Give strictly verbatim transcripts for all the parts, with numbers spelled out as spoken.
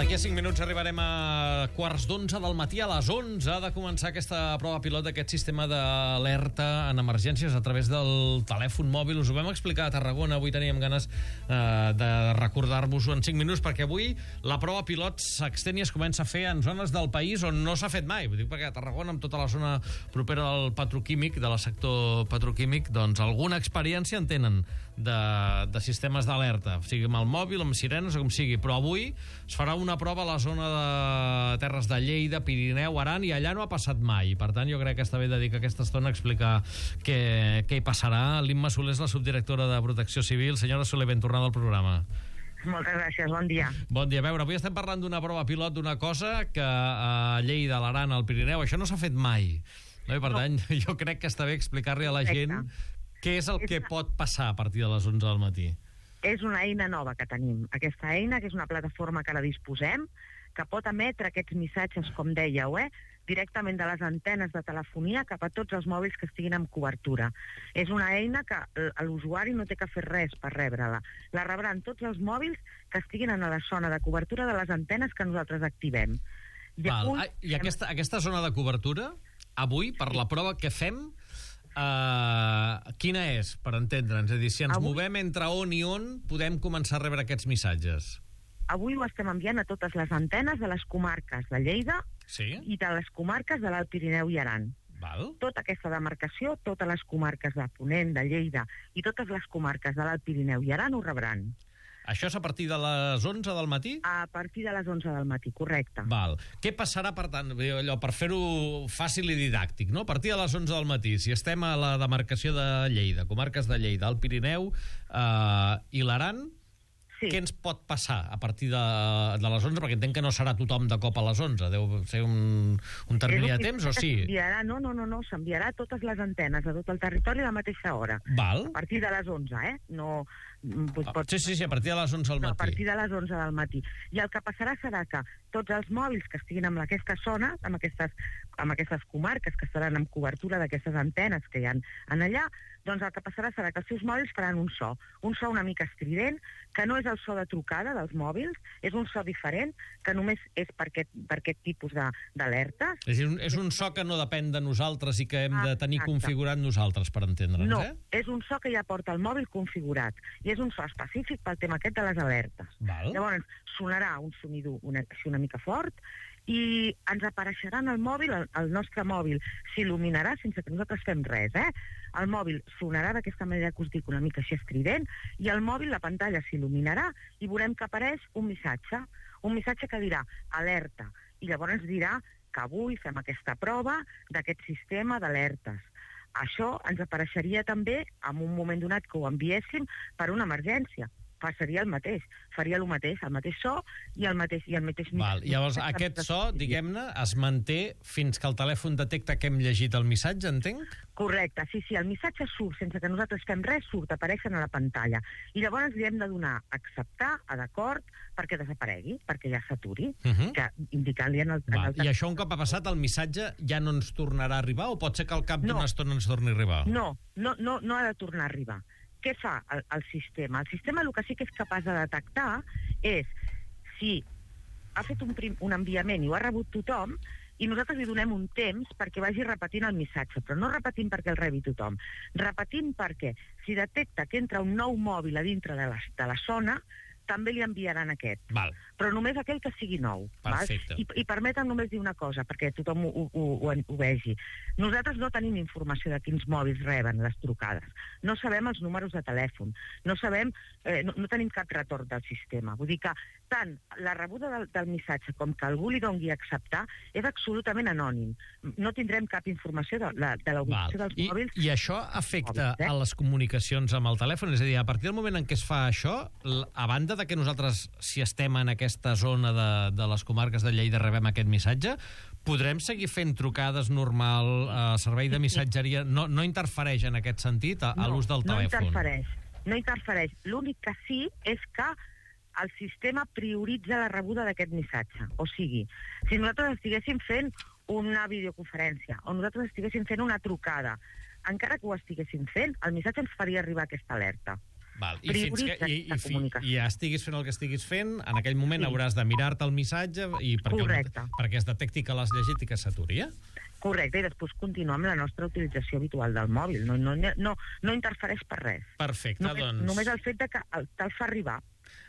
D'aquí a cinc minuts arribarem a quarts d'onze del matí. A les onze ha de començar aquesta prova pilot d'aquest sistema d'alerta en emergències a través del telèfon mòbil. Us ho vam explicar a Tarragona. Avui teníem ganes eh, de recordar-vos-ho en cinc minuts, perquè avui la prova pilot s'extén i es comença a fer en zones del país on no s'ha fet mai. Ho dic perquè a Tarragona, amb tota la zona propera al petroquímic, de la sector petroquímic, doncs alguna experiència en tenen de, de sistemes d'alerta, sigui amb el mòbil, amb sirenes o com sigui. Però avui es farà una prova a la zona de Terres de Lleida, Pirineu, Aran, i allà no ha passat mai. Per tant, jo crec que està bé dedicar aquesta estona a explicar què, què hi passarà. L'Imma Soler és la subdirectora de Protecció Civil. Senyora Soler, ben tornada al programa. Moltes gràcies, bon dia. Bon dia. A veure, avui estem parlant d'una prova pilot d'una cosa que a Lleida, a l'Aran, al Pirineu, això no s'ha fet mai. No? I per no. tant, jo crec que està bé explicar-li a la gent què és el que pot passar a partir de les onze del matí. És una eina nova que tenim. Aquesta eina, que és una plataforma que ara disposem, que pot emetre aquests missatges, com dèieu, eh, directament de les antenes de telefonia cap a tots els mòbils que estiguin amb cobertura. És una eina que l'usuari no té que fer res per rebre-la. La rebran tots els mòbils que estiguin en la zona de cobertura de les antenes que nosaltres activem. I, Val. Avui, I aquesta, aquesta zona de cobertura, avui, per la prova que fem, Uh, quina és, per entendre'ns? És a dir, si ens avui, movem entre on i on, podem començar a rebre aquests missatges. Avui ho estem enviant a totes les antenes de les comarques de Lleida sí? i de les comarques de l'Alt Pirineu i Aran. Val. Tota aquesta demarcació, totes les comarques de Ponent, de Lleida i totes les comarques de l'Alt Pirineu i Aran ho rebran. Això és a partir de les onze del matí? A partir de les onze del matí, correcte. Val. Què passarà, per tant, allò, per fer-ho fàcil i didàctic, no? A partir de les onze del matí, si estem a la demarcació de Lleida, comarques de Lleida, el Pirineu eh, i l'Aran, sí. Què ens pot passar a partir de, de les onze? Perquè entenc que no serà tothom de cop a les onze. Deu ser un, un termini de temps, o sí? No, no, no, no, s'enviarà a totes les antenes de tot el territori a la mateixa hora. Val. A partir de les onze, eh? No... Pot... Sí, sí, sí, a partir de les onze del matí. No, a partir de les onze del matí. I el que passarà serà que tots els mòbils que estiguin en aquesta zona, en aquestes, en aquestes comarques que estaran amb cobertura d'aquestes antenes que hi ha en allà, doncs el que passarà serà que els seus mòbils faran un so, un so una mica estrident, que no és el so de trucada dels mòbils, és un so diferent, que només és per aquest, per aquest tipus d'alertes. És un, és un so que no depèn de nosaltres i que hem de tenir ah, configurat nosaltres, per entendre'ns, no, eh? No, és un so que ja porta el mòbil configurat, i és un so específic pel tema aquest de les alertes. Val. Llavors, sonarà un sonido una, una mica fort, i ens apareixerà en el mòbil, el, el nostre mòbil s'il·luminarà sense que nosaltres fem res, eh? El mòbil sonarà d'aquesta manera que us dic, una mica així estrident, i el mòbil, la pantalla s'il·luminarà i veurem que apareix un missatge, un missatge que dirà alerta, i llavors ens dirà que avui fem aquesta prova d'aquest sistema d'alertes. Això ens apareixeria també en un moment donat que ho enviéssim per una emergència. Passaria el mateix, faria el mateix, el mateix so i el mateix i el mateix... Val, llavors aquest so, diguem-ne, es manté fins que el telèfon detecta que hem llegit el missatge, entenc? Correcte, sí, sí, el missatge surt sense que nosaltres fem res, surt, apareixen a la pantalla. I llavors li hem de donar a acceptar, a d'acord, perquè desaparegui, perquè ja s'aturi, uh -huh. que indicant-li en el... Val, en el... I això un cop ha passat, el missatge ja no ens tornarà a arribar o pot ser que al cap d'una no. estona ens torni a arribar? No, no, no, no ha de tornar a arribar. Què fa el, el sistema? El sistema el que sí que és capaç de detectar és si ha fet un, prim, un enviament i ho ha rebut tothom i nosaltres li donem un temps perquè vagi repetint el missatge, però no repetint perquè el rebi tothom, repetint perquè si detecta que entra un nou mòbil a dintre de la, de la zona, també li enviaran aquest. Val. Però només aquell que sigui nou. Perfecte. Val? I, I permetem només dir una cosa, perquè tothom ho, ho, ho, ho vegi. Nosaltres no tenim informació de quins mòbils reben les trucades. No sabem els números de telèfon. No sabem, eh, no, no tenim cap retorn del sistema. Vull dir que tant la rebuda del, del missatge com que algú li doni a acceptar és absolutament anònim. No tindrem cap informació de, de, de la ubicació dels I, mòbils. I això afecta mòbils, eh? a les comunicacions amb el telèfon? És a dir, a partir del moment en què es fa això, a banda de que nosaltres, si estem en aquesta zona de, de les comarques de Lleida, rebem aquest missatge, podrem seguir fent trucades normal, eh, servei de missatgeria, no, no interfereix en aquest sentit a, a no, l'ús del no telèfon? No interfereix, no interfereix. L'únic que sí és que el sistema prioritza la rebuda d'aquest missatge. O sigui, si nosaltres estiguéssim fent una videoconferència o nosaltres estiguéssim fent una trucada, encara que ho estiguéssim fent, el missatge ens faria arribar aquesta alerta. Val. I fins que i, i, fi, comunicació. i ja estiguis fent el que estiguis fent, en aquell moment Sí. hauràs de mirar-te el missatge i perquè, Correcte. perquè es detecti que l'has llegit i que s'aturi, eh? Correcte, i després continuar amb la nostra utilització habitual del mòbil. No, no, no, no interfereix per res. Perfecte, Només, doncs... només el fet de que el- te'l fa arribar.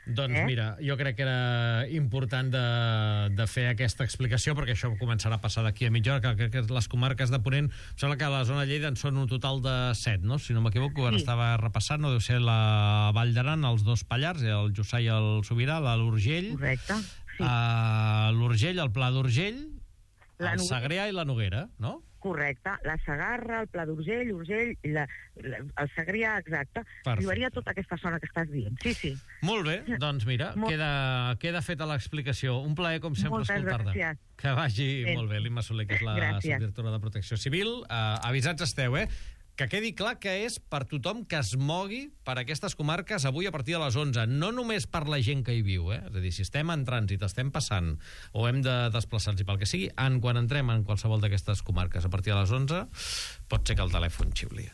Doncs Eh? mira, jo crec que era important de, de fer aquesta explicació, perquè això començarà a passar d'aquí a mitja hora, que, que, que les comarques de Ponent, em sembla que a la zona de Lleida en són un total de set, no? Si no m'equivoco, ara Sí. estava repassant, no deu ser la Vall d'Aran, els dos Pallars, el Jussà i el Sobirà, la l'Urgell, Correcte. Sí. uh, l'Urgell, el Pla d'Urgell, La el Noguera. Segrià i la Noguera, no? Correcte, la Segarra, el Pla d'Urgell, Urgell, la, la, el Segrià, exacte. Perfecte. Arribaria tota aquesta zona que estàs dient. Sí, sí. Molt bé, doncs mira, Molt- queda, queda feta l'explicació. Un plaer, com sempre, Moltes escoltar-te. gràcies. Que vagi Bé. molt bé, l'Imma Soler, que és la Gràcies. subdirectora de Protecció Civil. Uh, avisats esteu, eh? Que quedi clar que és per tothom que es mogui per aquestes comarques avui a partir de les onze. No només per la gent que hi viu, eh? És a dir, si estem en trànsit, estem passant, o hem de desplaçar-nos i pel que sigui, en quan entrem en qualsevol d'aquestes comarques a partir de les onze, pot ser que el telèfon xiuli.